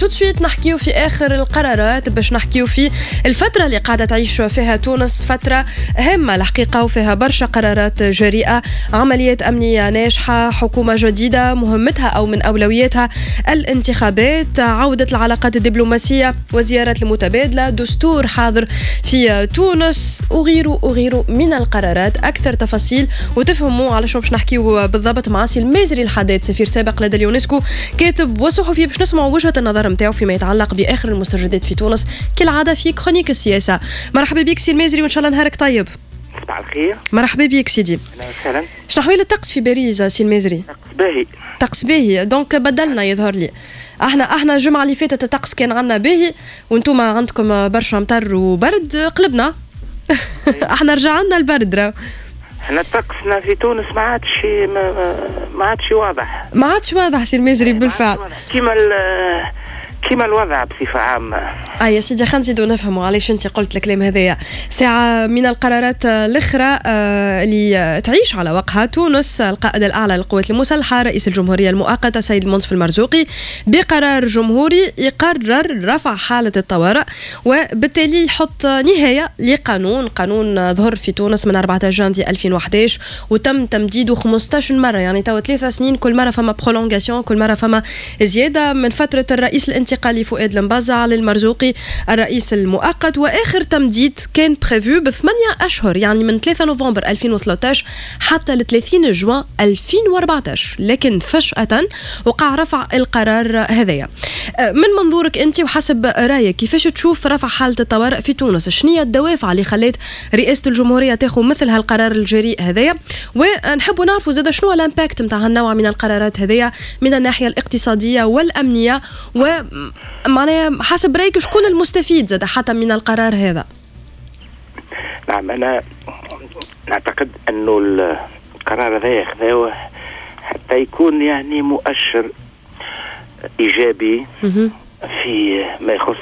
tout de suite نحكيو في اخر القرارات باش نحكيو في الفترة اللي قاعدة تعيش فيها تونس، فترة هامة الحقيقة وفيها برشا قرارات جريئه، عمليات امنية ناجحه، حكومة جديدة مهمتها او من اولوياتها الانتخابات، عوده العلاقات الدبلوماسية وزيارات المتبادله، دستور حاضر في تونس وغيره وغيره من القرارات. اكثر تفاصيل وتفهموا على شنو باش نحكيو بالضبط مع سي المازري الحداد، سفير سابق لدى اليونسكو، كاتب وصحفي، باش نسمعوا وجهه النظر نتاعو فيما يتعلق باخر المستجدات في تونس كالعادة في chronique السياسه. مرحبا بك سي المازري وان شاء الله نهارك طيب. صباح الخير. مرحبا بك سيدي. اهلا وسهلا. شنو احوال الطقس في باريس سي المازري؟ طقس باهي. طقس باهي، donc بدلنا يظهر لي. احنا الجمعة اللي فاتت الطقس كان عندنا باهي وانتم عندكم برشا مطر وبرد، قلبنا. احنا رجع لنا البرد راه. احنا طقسنا في تونس ما عادش واضح. ما عادش واضح سي المازري بالفعل. كيما الوضع بصفة عامة. اه يا سيدي، خلينا نزيدو نفهموا علاش انت قلت الكلام هذايا. ساعة من القرارات الأخرى اللي تعيش على وقعها تونس، القائد الأعلى للقوات المسلحة رئيس الجمهورية المؤقتة السيد المنصف المرزوقي بقرار جمهوري يقرر رفع حالة الطوارئ، وبالتالي يحط نهاية لقانون، قانون ظهر في تونس من 14 جانفي 2011 وتم تمديده 15 مرة، يعني توا 3 سنين كل مرة فما prolongation، كل مرة فما زيادة من فترة الرئيس الانتقالي فؤاد المبزع للمرزوقي الرئيس المؤقت، واخر تمديد كان prévu ب8 اشهر، يعني من 3 نوفمبر 2013 حتى ل 30 جوان 2014، لكن فجأة وقع رفع القرار هذايا. من منظورك انت وحسب رايك، كيفاش تشوف رفع حالة الطوارئ في تونس؟ شنو هي الدوافع اللي خلت رئاسة الجمهورية تاخذ مثل هالقرار الجريء هذايا؟ ونحبوا نعرفوا زاد شنو l'impact نتاع هالنوع من القرارات هذيا من الناحية الاقتصادية والأمنية، ومعناها حسب رايك شكون المستفيد زاد حتى من القرار هذا؟ نعم، أنا نعتقد أنه القرار هذا خذاوه حتى يكون يعني مؤشر إيجابي في ما يخص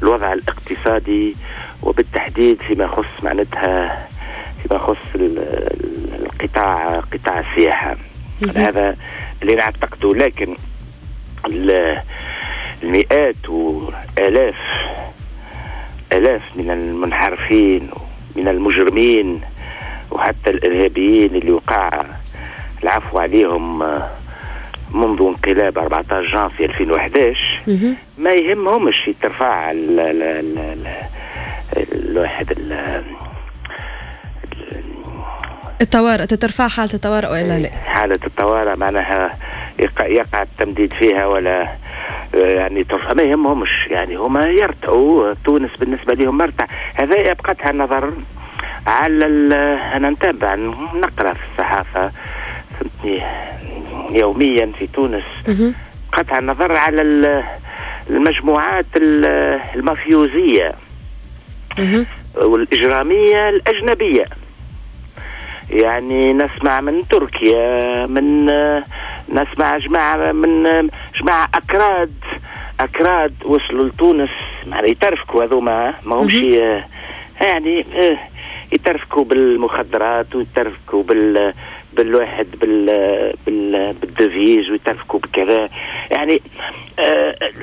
الوضع الاقتصادي، وبالتحديد فيما يخص معناتها فيما يخص القطاع، قطاع السياحة. هذا اللي نعتقده، لكن المئات والاف الاف من المنحرفين ومن المجرمين وحتى الارهابيين اللي وقع العفو عليهم منذ انقلاب 14 جانفي 2011 ما يهمهمش ترفع الواحد الطوارئ، تترفع حالة الطوارئ ولا لا؟ حالة الطوارئ معناها يقع التمديد فيها ولا يعني ترفع، ما يهمهمش. يعني هما يرتعوا، تونس بالنسبة لهم مرتع. هذا يبقى النظر على أنا نتابع، نقرأ في الصحافة، فهمتني، يوميا في تونس، قطع النظر على المجموعات المافيوزية والإجرامية الأجنبية. يعني نسمع من تركيا، من نسمع جماعة من جماعة أكراد وصلوا لتونس، معناها يترفكوا هذوما، ما همش يعني يترفكوا بالمخدرات ويترفكوا بالواحد بال devises ويترفكوا بكذا. يعني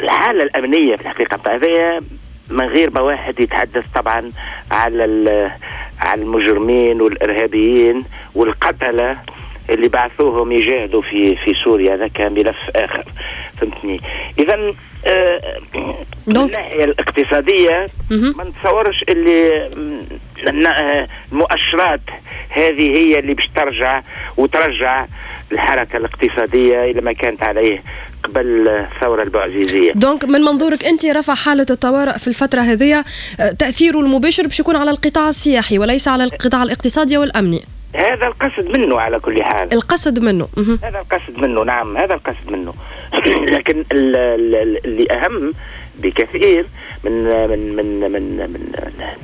الحالة الامنية في الحقيقة هذايا من غير ما واحد يتحدث طبعا على المجرمين والارهابيين والقتله اللي بعثوهم يجاهدوا في سوريا، هذا كان ملف اخر، فهمتني. اذا من الناحية الاقتصادية ما نتصورش اللي المؤشرات هذه هي اللي باش ترجع وترجع الحركة الاقتصادية الى ما كانت عليه قبل الثورة البوعزيزيه. donc من منظورك انت، رفع حاله الطوارئ في الفترة هذه تاثيره المباشر باش يكون على القطاع السياحي وليس على القطاع الاقتصادي والامني. هذا القصد منه على كل حال. القصد منه. هذا القصد منه، نعم، هذا القصد منه. لكن اللي اهم بكثير من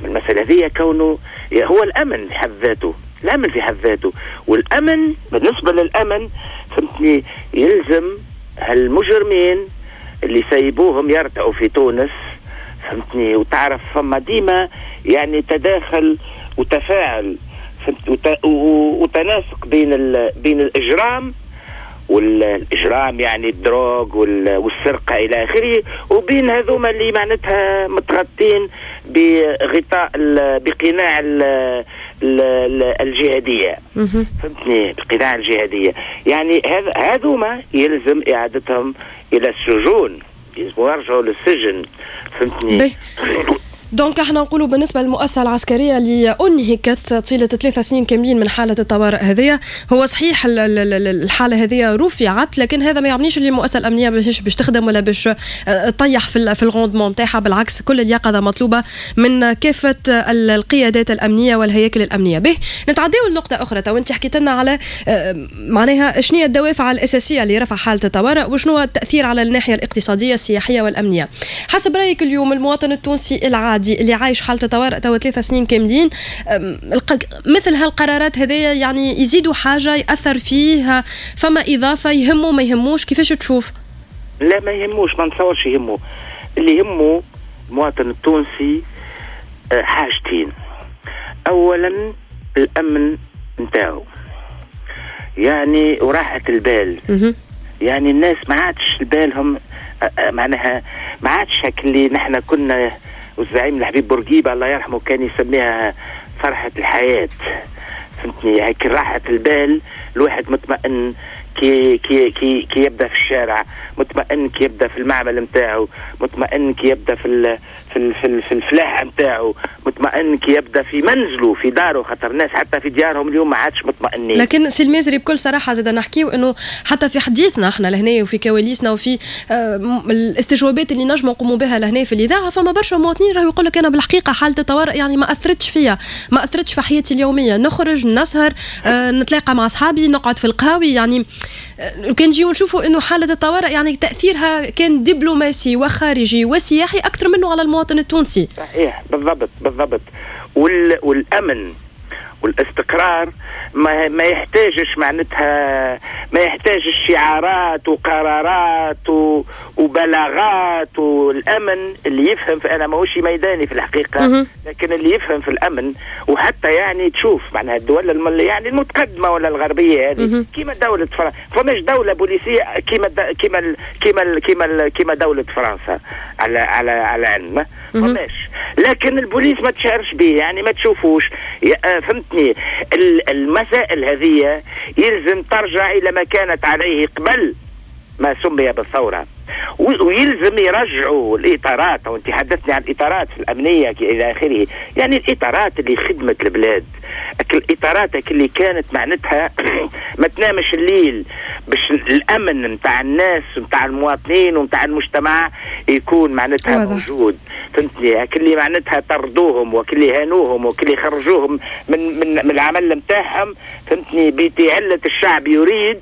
المسالة هذه كونه هو الامن في حد ذاته، الامن في حد ذاته. والامن، بالنسبة للامن، فهمتني، يلزم هالمجرمين اللي سيبوهم يرتعوا في تونس، فهمتني، وتعرف فما ديما يعني تداخل وتفاعل وتناسق بين الاجرام. والاجرام، يعني ال drogue والسرقة الى اخره، وبين هذوما اللي معناتها متغطين بغطاء بقناع الجهاديه. فهمتني؟ بقناع الجهاديه، يعني هذوما يلزم اعادتهم الى السجون، يلزم يرجعوا للسجن. فهمتني؟ donc احنا نقولوا بالنسبة للمؤسسه العسكرية اللي انهكت طيلة 3 سنين كاملين من حاله الطوارئ هذه، هو صحيح الحالة هذه رفعت، لكن هذا ما يعنيش اللي المؤسسة الامنية باش تخدم ولا باش تطيح في ال rendement نتاعها. بالعكس، كل اليقظة مطلوبه من كافة القيادات الامنية والهياكل الامنيه. به نتعداو لنقطة اخرى. تو انت حكيت لنا على معناها شنو هي الدوافع الاساسية لرفع حاله الطوارئ وشنو التاثير على الناحية الاقتصادية، السياحية والامنيه. حسب رايك اليوم المواطن التونسي العادي اللي عايش حاله طوارئ توا 3 سنين كاملين، مثل هالقرارات هذيا يعني يزيدوا حاجه، ياثر فيه، فما اضافه، يهمه ما يهموش، كيفاش تشوف؟ لا، ما يهموش، ما نتصورش يهمه. اللي يهمه المواطن التونسي حاجتين: اولا الامن نتاعو يعني وراحة البال. يعني الناس ما عادش بالهم معناها ما عادش اللي نحن كنا، والزعيم الحبيب بورقيبة الله يرحمه كان يسميها فرحة الحياة. فهمتني؟ هيك راحة البال، الواحد مطمئن كي يبدا في الشارع، مطمئن كي يبدا في المعمل نتاعو، مطمئن كي يبدا في الفلاحة نتاعو، مطمئن كي يبدا في منزله، في داره، خاطر الناس حتى في ديارهم اليوم ما عادش مطمئنين. لكن سي المازري، بكل صراحة زاد نحكيو انه حتى في حديثنا احنا لهنا وفي كواليسنا وفي الاستجوابات اللي نجموا نقوموا بها لهنا في الاذاعه، فما برشا مواطنين راهو يقول لك انا بالحقيقة حاله الطوارئ يعني ما اثرتش فيا، ما اثرتش في حياتي اليوميه، نخرج، نسهر، نتلاقى مع اصحابي، نقعد في القهاوي. يعني كان نجيو نشوفوا انه حاله الطوارئ يعني تاثيرها كان دبلوماسي وخارجي وسياحي اكثر منه على المواطن التونسي. صحيح، بالضبط بالضبط. والامن والاستقرار ما يحتاجش معناتها ما يحتاجش شعارات وقرارات وبلاغات. والامن اللي يفهم في، انا ماهوش ميداني في الحقيقه، لكن اللي يفهم في الامن، وحتى يعني تشوف معناها الدول يعني المتقدمة ولا الغربية هذه كيما دولة فرنسا، فماش دولة بوليسيه كيما دولة فرنسا على علم فماش، لكن البوليس ما تشعرش به، يعني ما تشوفوش. فهمتني؟ المسائل هذه يلزم ترجع الى ما كانت عليه قبل ما سمي بالثوره، ويلزم يرجعوا الاطارات. وانت حدثتني عن الاطارات في الامنية الى اخره، يعني الاطارات اللي خدمت البلاد، الاطارات اللي كانت معناتها ما تنامش الليل باش الامن نتاع الناس، نتاع المواطنين ونتاع المجتمع يكون معناتها موجود. فهمتني؟ اللي معناتها طردوهم وكل هانوهم وكل خرجوهم من العمل نتاعهم، فهمتني، بعلة الشعب يريد.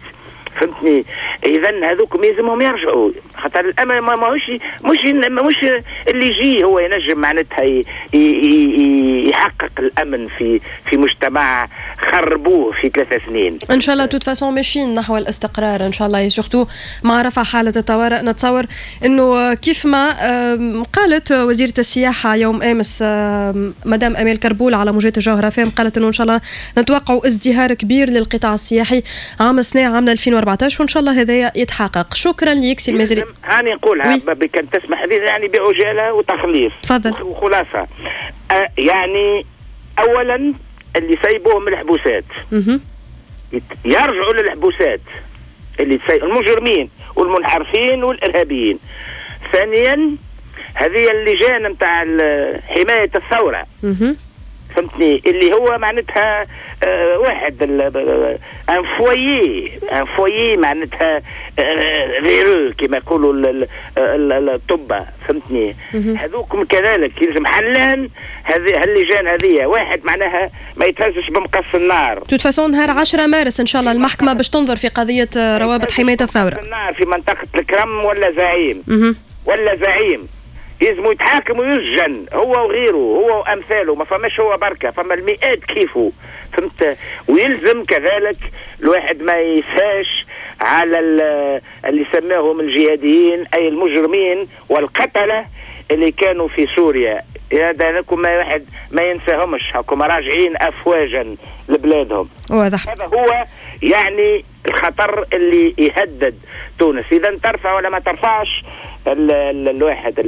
فهمتني؟ اذا هذوك يلزمهم يرجعوا، خاطر الامن ماهوش مش اللي يجي هو ينجم معناتها يحقق الامن في مجتمع خربوه في 3 سنين. ان شاء الله، de toute façon ماشيين نحو الاستقرار ان شاء الله، surtout مع رفع حاله الطوارئ. نتصور انه كيف ما قالت وزيره السياحة يوم امس مدام امال كربول على موجات الجوهرة فام، قالت انه ان شاء الله نتوقع ازدهار كبير للقطاع السياحي عام السنه، عام 2014، وان شاء الله هذا يتحقق. شكرا لك سي المازري. هاني نقولها بكان تسمح لي، يعني بعجاله وتخليص. تفضل. وخلاصه، يعني اولا اللي سيبوهم الحبوسات يرجعوا للحبوسات، اللي المجرمين والمنحرفين والارهابيين. ثانيا هذه اللجان نتاع حماية الثوره، فهمتني، اللي هو معناتها واحد un foyer معناتها véreux كما يقولوا الطب، فهمتني؟ هذوكم كذلك يلزم حلان هذه اللجان هذه، واحد معناها ما يتهزش بمقص النار. de toute façon نهار 10 مارس ان شاء الله المحكمة باش تنظر في قضية روابط حماية الثوره. النار في منطقة الكرم ولا زعيم ولا زعيم يلزموا يتحاكم ويسجن هو وغيره، هو وامثاله، ما فماش هو بركه، فما المئات كيفه، فهمت؟ ويلزم كذلك الواحد ما يسهاش على اللي سماهم الجهاديين، اي المجرمين والقتله اللي كانوا في سوريا. هذا لكم ما واحد ما ينساهمش، هاكم راجعين افواجا لبلادهم. واضح. هذا هو يعني. الخطر اللي يهدد تونس. اذا ترفع ولا ما ترفعش الواحد.